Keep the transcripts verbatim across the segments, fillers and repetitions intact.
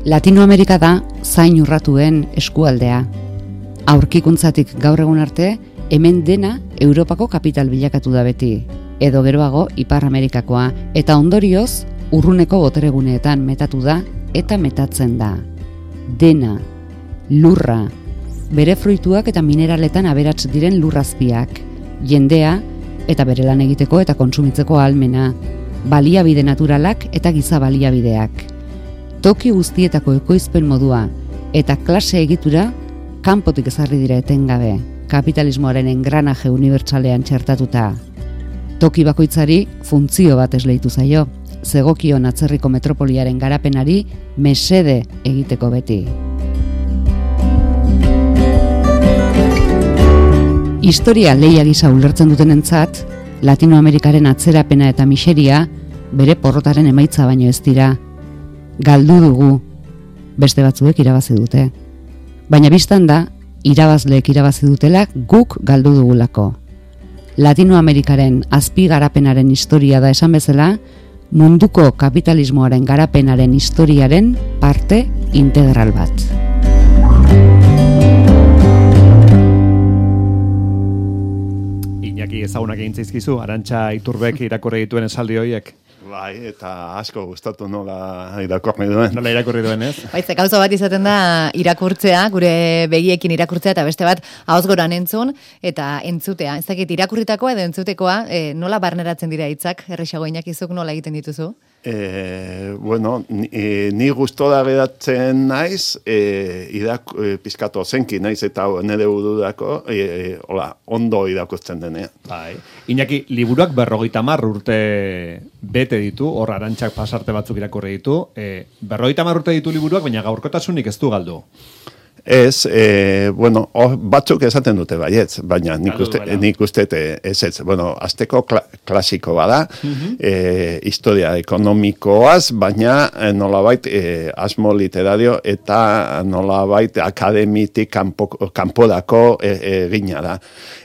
Latinoamerika da zain urratuen eskualdea. Aurkikuntzatik gaur egun arte, hemen dena Europako kapital bilakatu da beti, edo geroago Ipar Amerikakoa, eta ondorioz urruneko botereguneetan metatu da eta metatzen da. Dena, lurra, bere fruituak eta mineraletan aberats diren lurrazpiak, jendea eta bere lan egiteko eta kontsumitzeko ahalmena, baliabide naturalak eta giza baliabideak. Toki guztietako ekoizpen modua eta klase egitura kanpotik ezarri dira etengabe, kapitalismoaren engranaje unibertsalean txertatuta. Toki bakoitzari funtzio bat esleitu zaio, zegokion atzerriko metropoliaren garapenari mesede egiteko beti. Historia lehia gisa ulertzen dutenentzat, Latinoamerikaren atzerapena eta miseria bere porrotaren emaitza baino ez dira. Galdu dugu, beste batzuek irabazi dute. Baina bistan da, irabazleek irabazi dutela guk galdu dugulako. Latinoamerikaren azpi garapenaren historia da esan bezala, munduko kapitalismoaren garapenaren historiaren parte integral bat. Iñaki ezagunak egin zaizkizu, Arantxa Iturbek irakurri dituen esaldi horiek. Bai, eta asko gustatu nola irakurri duen. Nola irakurri duen, ez? Baitze, gauza bat izaten da irakurtzea, gure begiekin irakurtzea, eta beste bat ahozgoran entzun, eta entzutea. Ez dakit, irakurritakoa edo entzutekoa, e, nola barneratzen dira hitzak, errexago Iñakizuk nola egiten dituzu? E, bueno, ni, e, ni gustora geratzen naiz, e, idak, e, pizkatu zenki naiz, eta nire budurako, e, e, hola, ondo irakurtzen denean. Bai. Iñaki, liburuak berrogeita hamar urte bete ditu, hor Arantxak pasarte batzuk irakurri ditu, e, berrogeita hamar urte ditu liburuak, baina gaurkotasunik ez du galdu. Ez, e, bueno, oh, batzuk esaten dute baietz, baina nik uste, nik uste ez ez, bueno, azteko kla, klasiko bada, uh-huh. e, historia ekonomikoaz, baina e, nolabait e, asmo literario eta nolabait akademitik kanpo, kanpodako egina e, da.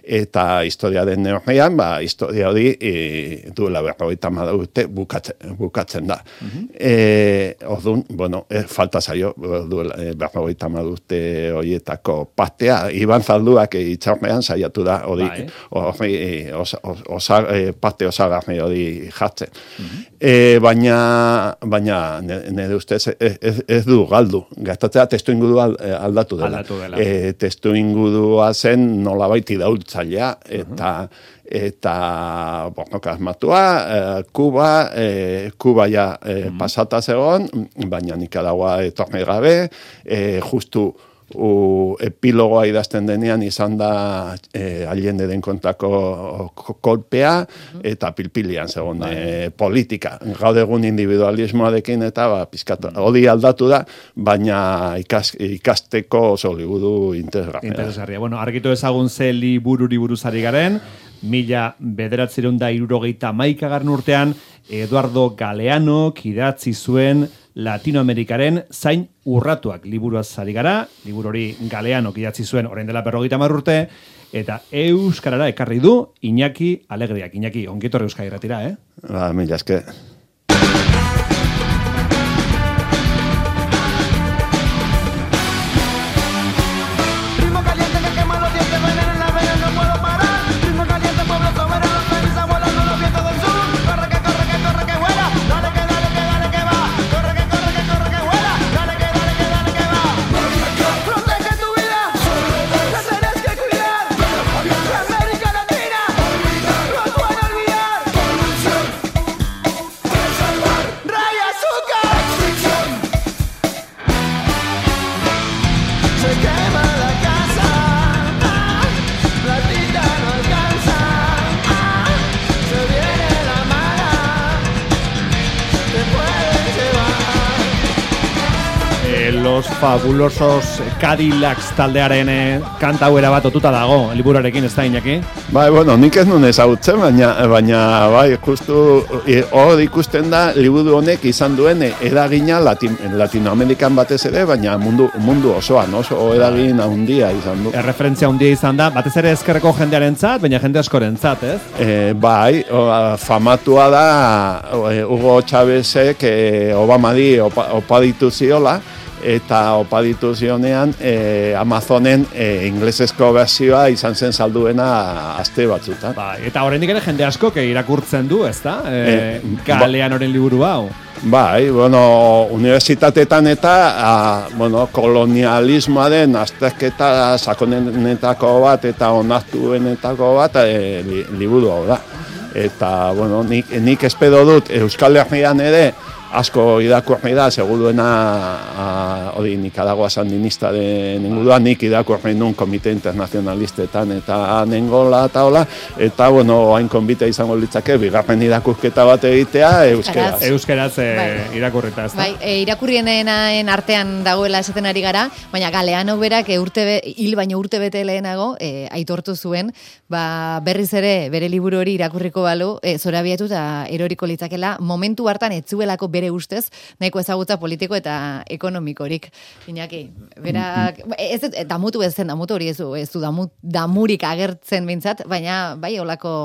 Eta historiaren neurrian, ba, historia hori e, duela berrogeita hamar urte bukatzen, bukatzen da. Uh-huh. E, Orduan, bueno, e, falta zaio duela e, berrogeita hamar urte horietako partea. Iban Zalduak e, itxarmean saiatu da hori, hori e, osa, osa, e, parte osagarri hori jartzen. Uh-huh. e, baina, baina nire ustez ez, ez, ez du galdu. Gastatzea testu ingurua aldatu dela. Aldatu dela. E, testu ingurua zen nolabait idaultza zaila, eta uh-huh. eta bornoka asmatua, eh, Kuba, eh, Kuba ja eh, uh-huh. pasata zegoen, baina Nicaragua etorne gabe, eh, justu u, epilogoa idazten denean izan da eh, Allenderen kontrako kolpea, uh-huh. eta pilpilian zegoen eh, politika. Gaur egun individualismoarekin eta ba, pizkatu, hori aldatu da, baina ikas, ikasteko oso liburu interesgarria. Interesgarria. Bueno, argitu ezagun ze libururi buruz ari garen, mila bederatziehun eta hirurogeita hamaikagarren urtean, Eduardo Galeanok idatzi zuen Latinoamerikaren zain urratuak liburuaz ari gara, liburu hori Galeanok idatzi zuen orain dela berrogeita hamar urte, eta euskarara ekarri du Iñaki Alegriak. Iñaki, ongitorri Euskadi Irratira, eh? Ba, mila eske. Los fabulosos Cadillacs taldearen eh, kanta hauera bat otuta dago, liburuarekin, ez da, Iñaki? Bai, bueno, nik ez nun ezagutzen, baina, baina bai, justu hor e, ikusten da, liburu honek izan duen eragina Latin, Latinoamerikan batez ere, baina mundu, mundu osoan, oso eragin handia izan du. Erreferentzia handia izan da, batez ere ezkerreko jendearen zat, baina jende askoren zat, ez? E, bai, o, famatua da Hugo Chávezek e, Obamari opa, opa ditu ziola, eta opaditu zionean e, Amazonen e, inglesezko berzioa izan zen salduena aste batzutan. Ba, eta oraindik ere jende asko ke irakurtzen du, ezta? E, e, Galeanoren liburu hau. Bai, bueno, unibertsitateetan eta a, bueno, kolonialismoaren azterketa sakonenetako bat eta onartuenetako bat e, li, liburu hau da. Eta, bueno, nik, nik espedo dut Euskal Herrian ere asko irakurri da, seguruena hori Nicaragua sandinista den inguruan, nik irakurri nun komite internazionalistetan eta nengola eta hola, eta, bueno, hain konbite izango litzake, bigarren irakurketa bat egitea, euskeraz. Euskeraz e, bai. Irakurrita, ez da? Bai, e, irakurrienen artean dagoela esaten ari gara, baina Galeano berak e, urte be, hil baino urte bete lehenago e, aitortu zuen, ba, berriz ere bere liburu hori irakurriko balu, e, zorabiatu eta eroriko litzakela, momentu hartan etzuelako bere ustez, nahiko ezagutza politiko eta ekonomikorik. Iñaki, berak, ez, ez damutu ez zen, damutu hori ez du, ez du damu, damurik agertzen bintzat, baina bai olako...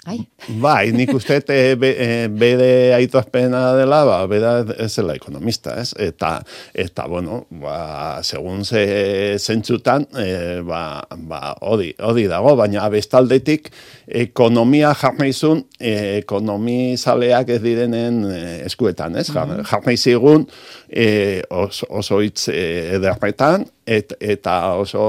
Ai. Bai, nik uste e, be, e, bere aitozpena dela, ba, bera ez zela ekonomista, ez? Eta, eta bueno, ba, segun ze zentzutan, e, ba, ba, hori, hori dago, baina bestaldetik ekonomia jarnaizun, e, ekonomizaleak ez direnen eskuetan, ez? Mm-hmm. Jarnaizigun e, oso, oso hitz e, ederretan, Et, eta oso,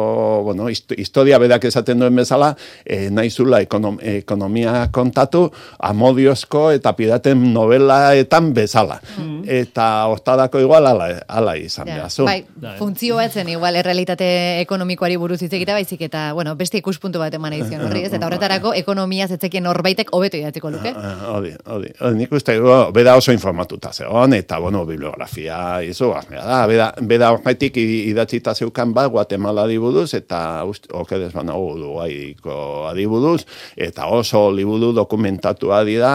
bueno, historia berak esaten duen bezala, e, nahizula ekonom, ekonomia kontatu, amodiozko eta piraten novelaetan bezala. Mm. Eta hortadako igual ala, ala izan ja, behar. Bai, funtzioa etzen igual errealitate ekonomikoari buruz hitz egita baizik eta, bueno, beste ikuspuntu bat eman edizion horri, ez? Eta horretarako ekonomia zetzekien horbaitek hobeto idatziko luke. Hodi, hodi. Nik uste, beda oso informatuta zegoen, eta, bueno, bibliografia izu, da, beda, beda horretik idatzita zeu kan ba, Guatemala adibuduz, eta okedez banago Uruguaiko adibuduz, eta oso liburu dokumentatua dira,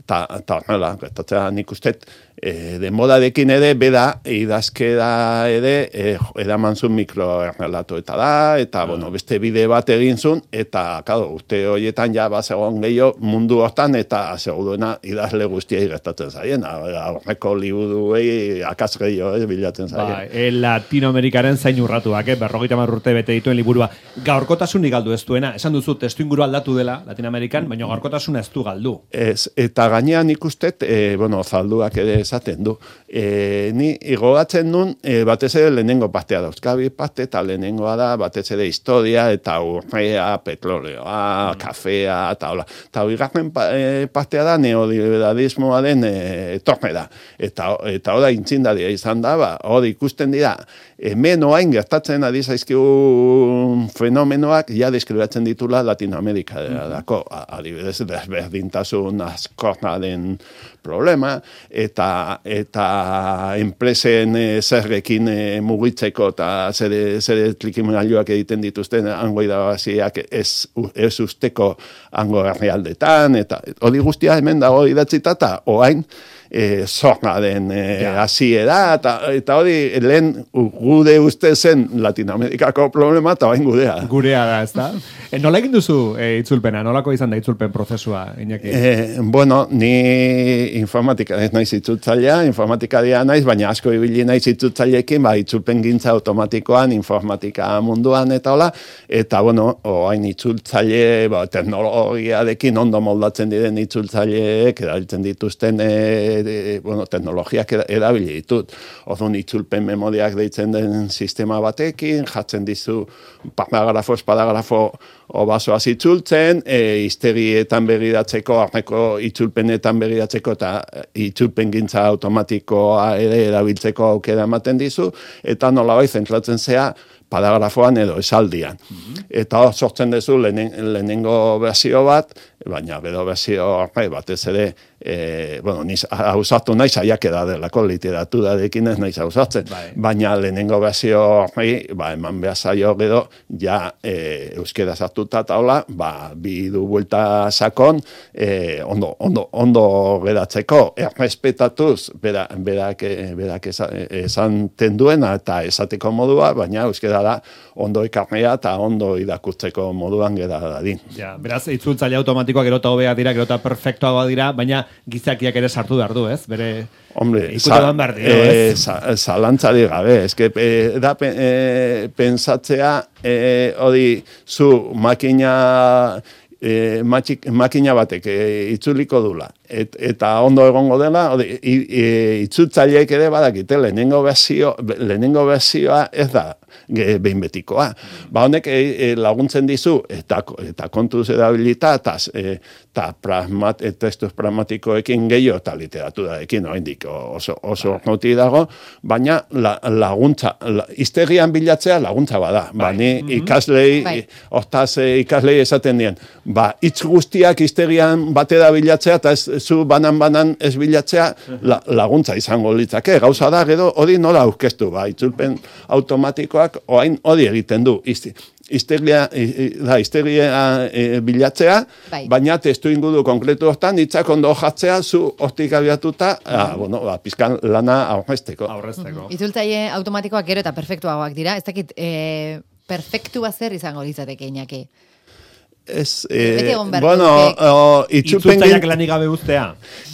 eta horrela, eta nik uste, e, denborarekin ere, beda, idazkera ere, e, edaman zuen mikrorelato eta da, eta, ah. bueno, beste bide bat egin zuen, eta, kado, uste horietan ja, ba, segon gehiago mundu hortan, eta seguruena idazle guztiai gertatzen zaien, horreko liburuei akaz gehiago, eh, bilatzen zaien. Ba, e, Latinoamerikaren zain urratuak, eh, berrogeita hamar urte bete dituen liburua. Gaurkotasunik galdu ez duena, esan duzu, testu inguru aldatu dela Latinoamerikan, baina gaurkotasuna ez du galdu. Ez, eta gainean ikustet, e, bueno, zalduak ere esaten du. E, ni igogatzen nun, e, batez ere lehenengo partea dauzkabi parte, eta lehenengoa da batez ere historia, eta urrea, petroleoa, mm. kafea, eta hola. Eta bigarren e, partea da neoliberalismoaren e, etormera. Eta, eta hori intzindaria izan da, ba, hori ikusten dira, hemen oain gertatzen ari zaizkigun fenomenoak ja deskribatzen ditula Latinoamerika dako, adibidez desberdintasun askornaren problema, eta eta enpresen e, zerrekin e, mugitzeko eta zere, zere trikimailuak egiten dituzten hango irabaziak ez, ez usteko hango herrialdetan, eta hori guztia hemen dago idatzita, eta oain E, zorra den e, hasiera, eta, eta hori lehen gude uste zen Latinoamerikako problema, eta bain gudea. Gurea da, ez da? E, nola egin duzu e, itzulpena? Nolako izan da itzulpen prozesua, Iñaki? E, bueno, ni informatika ez naiz itzultzailea, informatikaria naiz, baina asko ibili naiz itzultzaileekin, ba, itzulpen gintza automatikoan, informatika munduan, eta hola, eta, bueno, oain itzultzaile, ba, teknologiarekin ondo moldatzen diren itzultzaileek, erabiltzen dituzten e, De, bueno, teknologiak erabili ditut. Orduan itzulpen memoriak deitzen den sistema batekin, jatzen dizu paragrafo, paragrafo obasoaz itzultzen, e, iztegietan begiratzeko, arneko itzulpenetan begiratzeko, eta itzulpen gintza automatikoa ere erabiltzeko aukera ematen dizu, eta nolabait zentratzen zea paragrafoan edo esaldian. Mm-hmm. Eta sortzen duzu lehenen, lehenengo berzio bat, baina bedo berzio horre batez ere, e, bueno, niz hausatu nahi saiakera delako literaturarekin ez nahi hausatzen, bai. Baina lehenengo berzio horre, ba, eman behar zaio gero, ja e, euskera sartuta eta hola, ba, bi du buelta sakon, e, ondo, ondo, ondo geratzeko, errespetatuz, berak, berak, berak esan tenduena eta esateko modua, baina euskera da ondo ekarnea eta ondo irakurtzeko moduan gera dadin. Ja, beraz, itzultzaile automatikoak gerota hobea dira, gerota perfektoagoa dira, baina gizakiak ere sartu behar du, ez? Bere Hombre, ikutetan behar dio, ez? E, zalantzari gabe, eske e, da pe, e, pensatzea, e, hori, zu makina... E, matxik, makina batek e, itzuliko dula. Et, eta ondo egongo dela, ode, i, i, itzutzaileek ere badakite, lehenengo berzio, lehenengo berzioa ez da ge, behin betikoa. Ba honek e, e, laguntzen dizu, eta, eta kontuz edabilita, eta e, pragmat, e, testuz pragmatikoekin gehiago, eta literaturarekin, oraindik oso, oso noti dago, baina la, laguntza, la, iztegian bilatzea laguntza bada. Ba, ni ikaslei, hortaz ikaslei esaten dien, ba, hitz guztiak iztegian batera bilatzea, eta ez zu banan-banan ez bilatzea la, laguntza izango litzake. Gauza da, gero hori nola aurkeztu, ba, itzulpen automatikoak orain hori egiten du. Izti, iztegia, da, iztegia e, bilatzea, bai. Baina testu ingudu konkretu hortan, hitzak ondo jatzea, zu hortik abiatuta, mm. ah, bueno, ba, pizkan lana aurrezteko. Aurrezteko. Mm-hmm. Itzultzaile automatikoak gero eta perfektuagoak dira, ez dakit, e, perfektua zer izango litzateke Iñaki? Ez, eh, bueno, o, itzultzaileak lanik gabe uztea.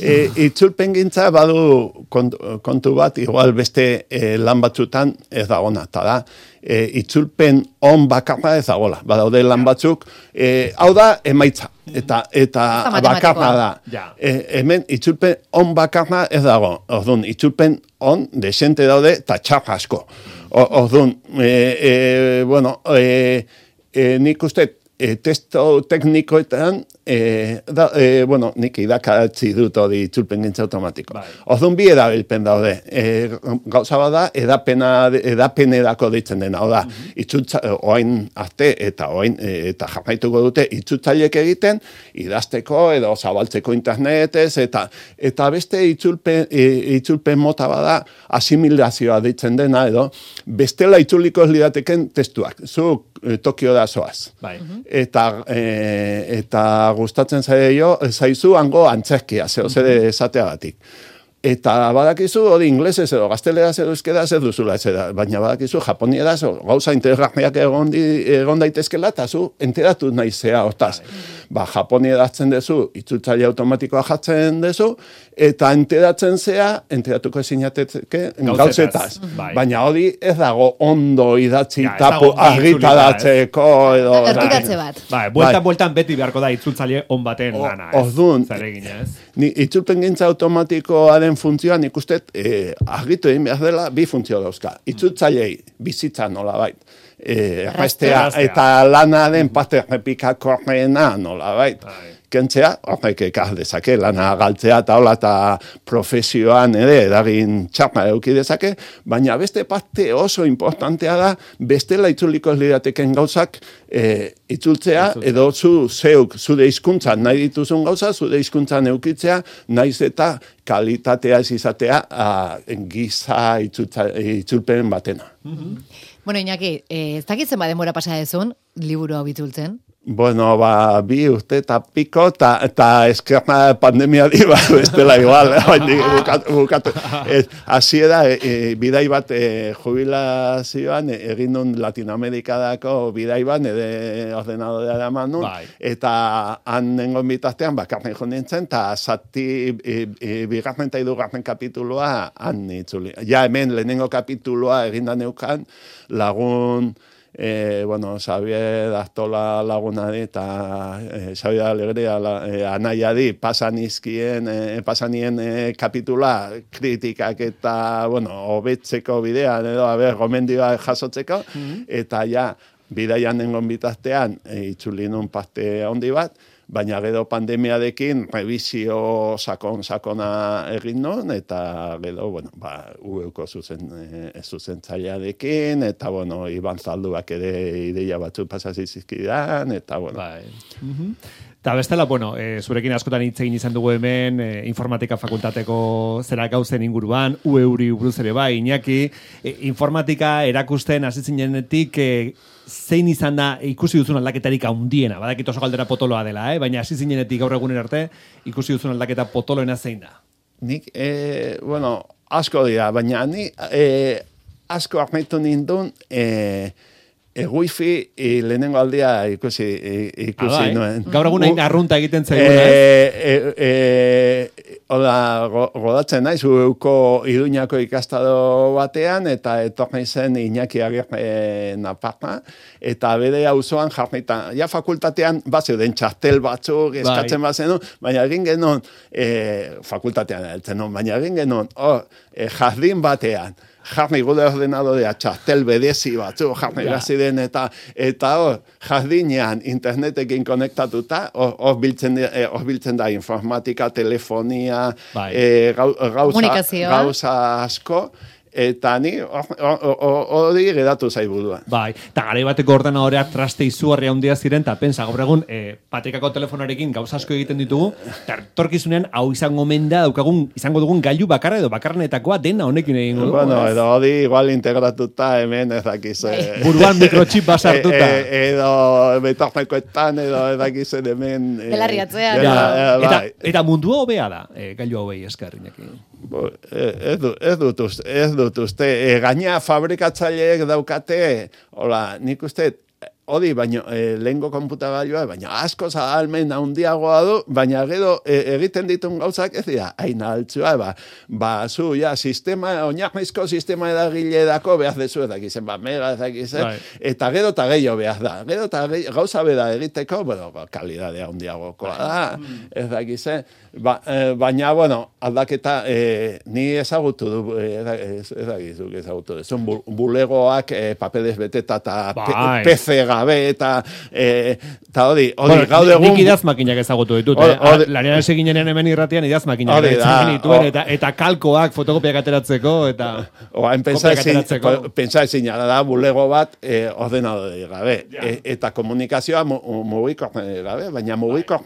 E, itzulpen gintza badu kontu, kontu bat, igual beste e, lan batzutan ez dagona, eta da, e, itzulpen on bakarra ez dagola. Badaude lan batzuk, e, hau da emaitza, eta eta bakarra da. Ja. E, hemen itzulpen on bakarra ez dago. Orduan, itzulpen on desente daude, eta txarra asko. Orduan, e, e, bueno, e, e, nik uste, E, testo teknikoetan, e, da, e, bueno, nik idakatzi dut hori itzulpen gintza automatiko. Bai. Orduan bi edabilpen daude. E, gauza bada, edapena, edapenerako deitzen dena. Oda, mm-hmm. itzultza, oain arte eta oain, e, eta jarraituko dute itzultzaileek egiten, idazteko edo zabaltzeko internetez, eta eta beste itzulpen, e, itzulpen mota bada, asimilazioa deitzen dena, edo, bestela itzuliko ez lidateken testuak. Zu Tokio da zoaz. Bai. Eta, e, eta gustatzen zaio, zaizu hango antzerkia, zeo zer esateagatik. Eta badakizu, hori inglesez edo gazteleraz edo euskera ez duzula ez da, baina badakizu japonieraz gauza interesgarriak egon, di, egon daitezkela, eta zu enteratu nahi zea hortaz. Ba, japonieratzen dezu, itzultzaile automatikoa jatzen dezu, eta enteratzen zea, enteratuko ezinateteke gauzetaz. Bai. Baina hori ez dago ondo idatzi ja, tapu argitaratzeko edo... Erturatze bat. Bai, bueltan, bueltan beti beharko da itzultzaile on baten o, lana. Ez? Orduan, ez? Ni itzulpen gintza automatikoaren funtzioan ikustet eh, argitu egin behar dela bi funtzio dauzka. Itzultzailei bizitza nola bait. Eh, Errastea eta lanaren parte errepikakorreena nola bait. Kentzea, horrek ekar dezake, lana galtzea eta hola eta profesioan ere edagin txarra eduki dezake, baina beste parte oso importantea da, bestela itzuliko ez lirateken gauzak e, itzultzea, edo zu zeuk, zure hizkuntzan nahi dituzun gauza, zure hizkuntzan eukitzea, naiz eta kalitatea ez izatea a, giza itzultza, itzulpen batena. Mm-hmm. Bueno, Iñaki, eh, ez dakitzen ba denbora pasa dezun, liburu hau itzultzen? Bueno, ba, bi urte eta piko, eta eskerna pandemia di, ba, bestela igual, bukatu, bukatu. Hasiera, e, e, bidai bat e, jubilazioan, e, egin nun Latinoamerikadako bidai bat, nire ordenadora eraman nun, bai. Eta han nengon bitaztean, bakarren jo nintzen, eta zati, e, e, bigarren eta hirugarren kapituloa han itzuli. Ja, hemen, lehenengo kapituloa eginda neukan, lagun... E, bueno, Xavier Aztola lagunari eta e, Xavier Alegria la, e, anaiari pasanizkien, e, pasanien e, kapitula kritikak eta, bueno, hobetzeko bidean edo, a ber, gomendioa jasotzeko, mm-hmm. Eta ja, bidaian nengon bitaztean, e, itzulinun parte handi bat, baina gero pandemiarekin revisio sakon sakona egin non, eta gero, bueno, ba, ueuko zuzen, e, zuzentzailearekin, eta, bueno, Iban Zalduak ere ideia batzu pasazizizkidan, eta, bueno. Bai. Mm-hmm. Eta bestela, bueno, e, zurekin askotan hitz egin izan dugu hemen, e, informatika fakultateko zera gauzen inguruan, U E uri buruz ere bai, Iñaki, e, informatika erakusten hasi zinenetik, e, zein izan da ikusi duzun aldaketarik handiena, badakit oso galdera potoloa dela, eh? Baina hasi zinenetik gaur egunen arte, ikusi duzun aldaketa potoloena zein da? Nik, e, bueno, asko dira, baina ni e, asko armaitu nindun, e, E, wifi e, lehenengo aldia ikusi, e, ikusi Adai, nuen. Gaur egun hain arrunta egiten zaiguna, e, e, e, hola, godatzen naiz, uko Iruñako ikastado batean, eta etorri zen Iñaki Agirre Naparra, eta bere auzoan jarrita, ja fakultatean, bazeuden txartel batzuk, eskatzen bazenu, baina egin genuen, e, fakultatean eltzen, baina egin genuen, oh, e, jardin batean, jarri gure ordenadorea txartel bedezi batzu, jarri ja. Gaziren eta eta hor, jardinean internetekin konektatuta, hor biltzen, hor biltzen da informatika, telefonia, e, gauza, gauza asko, eta ni hori geratu zaiburua. Bai, eta gare bateko ordenadorea traste izugarria handia ziren, eta pensa, gaur egun, e, patekako telefonarekin gauza asko egiten ditugu, eta torkizunean hau izango menda, daukagun, izango dugun gailu bakarra edo bakarrenetakoa dena honekin egingo dugu. Bueno, edo hori igual integratuta hemen ezakiz. Buruan mikrochip basartuta. E, e, edo betornekoetan, edo ezakizen hemen. Belarriatzean. Ja, eta, eta mundua hobea da, e, gailu hobei eskerrinekin. Bo, ez, du, ez dut uste, ez dut uste. E, gaina fabrikatzaileek daukate, hola, nik uste, hori, baina e, lehengo konputagailua, baina asko zahalmen handiagoa du, baina gero e, egiten ditun gauzak ez dira, aina altzua, ba, ba, zu, ja, sistema, oinarrizko sistema edagile dako behar dezu edakizen, ba, mega edakizen, bai. Eta gero eta gehiago behar da, gero eta gehiago, gauza beda egiteko, bueno, kalidadea handiagokoa da, edakizen, ba, e, baina, bueno, aldaketa, e, ni ezagutu du, ez dakizuk ezagutu du, zun bulegoak e, papeles beteta eta bai. P C gabe eta eta hori, hori bueno, gaur egun nik idazmakinak ezagutu ditut, eh? Lanean eginenean hemen irratian idazmakinak dituen eta eta kalkoak fotokopiak ateratzeko eta oain pentsa ezin da bulego bat e, ordenadore gabe ja. e, eta komunikazioa mugiko gabe, baina mugiko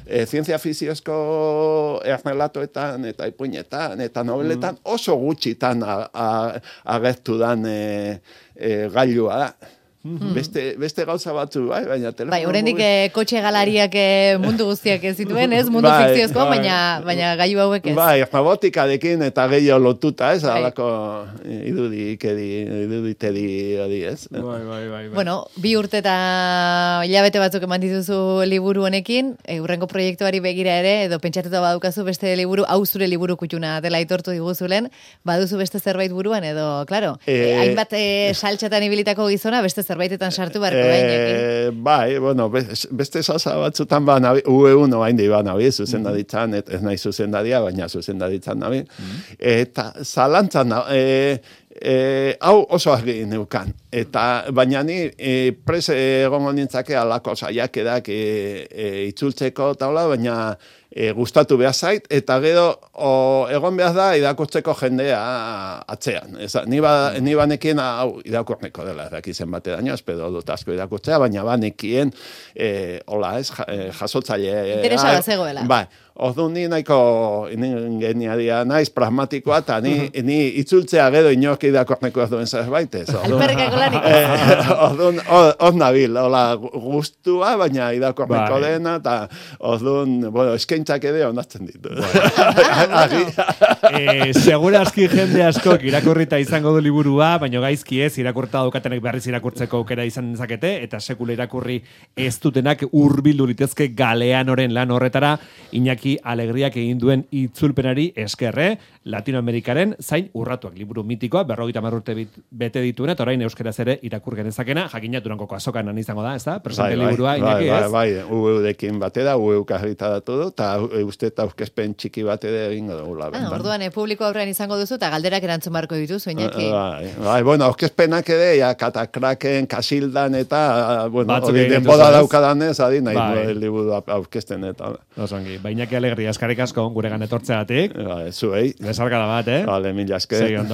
e, zientzia fiziozko errelatoetan eta ipuinetan eta noveletan mm. oso gutxitan agertu dan e, e, gailua da. Mm-hmm. Beste, beste gauza batzu, bai, baina telefono... Bai, horrendik eh, kotxe galariak eh, mundu guztiak ez zituen, ez? Mundu bai, fikziozko, bai, baina, baina gailu hauek ez. Bai, robotikarekin eta gehiago lotuta, ez? Bai. Alako idudikedi, iduditedi hori, ez? Bai, bai, bai, bai. Bueno, bi urte eta hilabete batzuk eman dituzu liburu honekin, e, urrengo proiektuari begira ere, edo pentsatuta badukazu beste liburu, hau zure liburu kutxuna dela aitortu diguzulen, baduzu beste zerbait buruan, edo, klaro, e... e, hainbat e, saltxatan ibilitako gizona, beste zerbaitetan sartu barko eh, bai, bueno, beste salsa batzutan ba nabi, U E uno hain di ba nabi, zuzendaritzan, ez nahi zuzendaria, baina zuzendaritzan nabi, mm-hmm. eta zalantzan, e, e, hau oso argi neukan, eta baina ni e, pres egongo nintzake alako saiakerak e, e, itzultzeko taula, baina e, gustatu behar zait, eta gero o, egon behar da irakurtzeko jendea atzean. Eza, ni, ba, ni banekien hau irakurreko dela, erakizen bate daño, espero dut asko irakurtzea, baina banekien, e, hola ez, jasotzaile... Interesa da zegoela. Bai, orduan ni nahiko ingeniaria naiz, pragmatikoa, eta ni, mm-hmm. ni itzultzea gero inork irakurreko ez duen zerbait ez. Alperrekako lanik. Orduan, hor nabil, hola, gustua, baina irakurreko bai. Dena, eta orduan, bueno, eskaintzak ere onartzen ditu. eh, segura aski jende askok irakurrita izango du liburua, baina gaizki ez, irakurta daukatenek berriz irakurtzeko aukera izan dezakete, eta sekula irakurri ez dutenak hurbildu litezke Galeanoren lan horretara, Iñaki Alegriak egin duen itzulpenari eskerre, Latinoamerikaren zain urratuak liburu mitikoa, berrogeita hamar urte bete dituena, eta orain euskeraz ere irakur genezakena, jakina Durankoko azokan izango da, ez da? Presente bai, liburua, bai, Iñaki, bai, ez? Bai, bai, U E-dekin batera, U E-uk argitaratu du, eta uste eta aurkezpen txiki bat ere egingo dugu. Ah, orduan, e, publiko aurrean izango duzu, eta galderak erantzun barko dituzu, Iñaki. Bai, bai, bueno, aurkezpenak ere, ja, katakraken, kasildan, eta, bueno, hori denbora daukadanez, adi nahi bai. Du liburu aurkezten, eta. Osongi, ba, Iñaki Alegria, eskarrik asko, gure gan etortzeagatik. Bai, zuei. Besarkada bat, eh? Vale, mila esker. Segi ondo.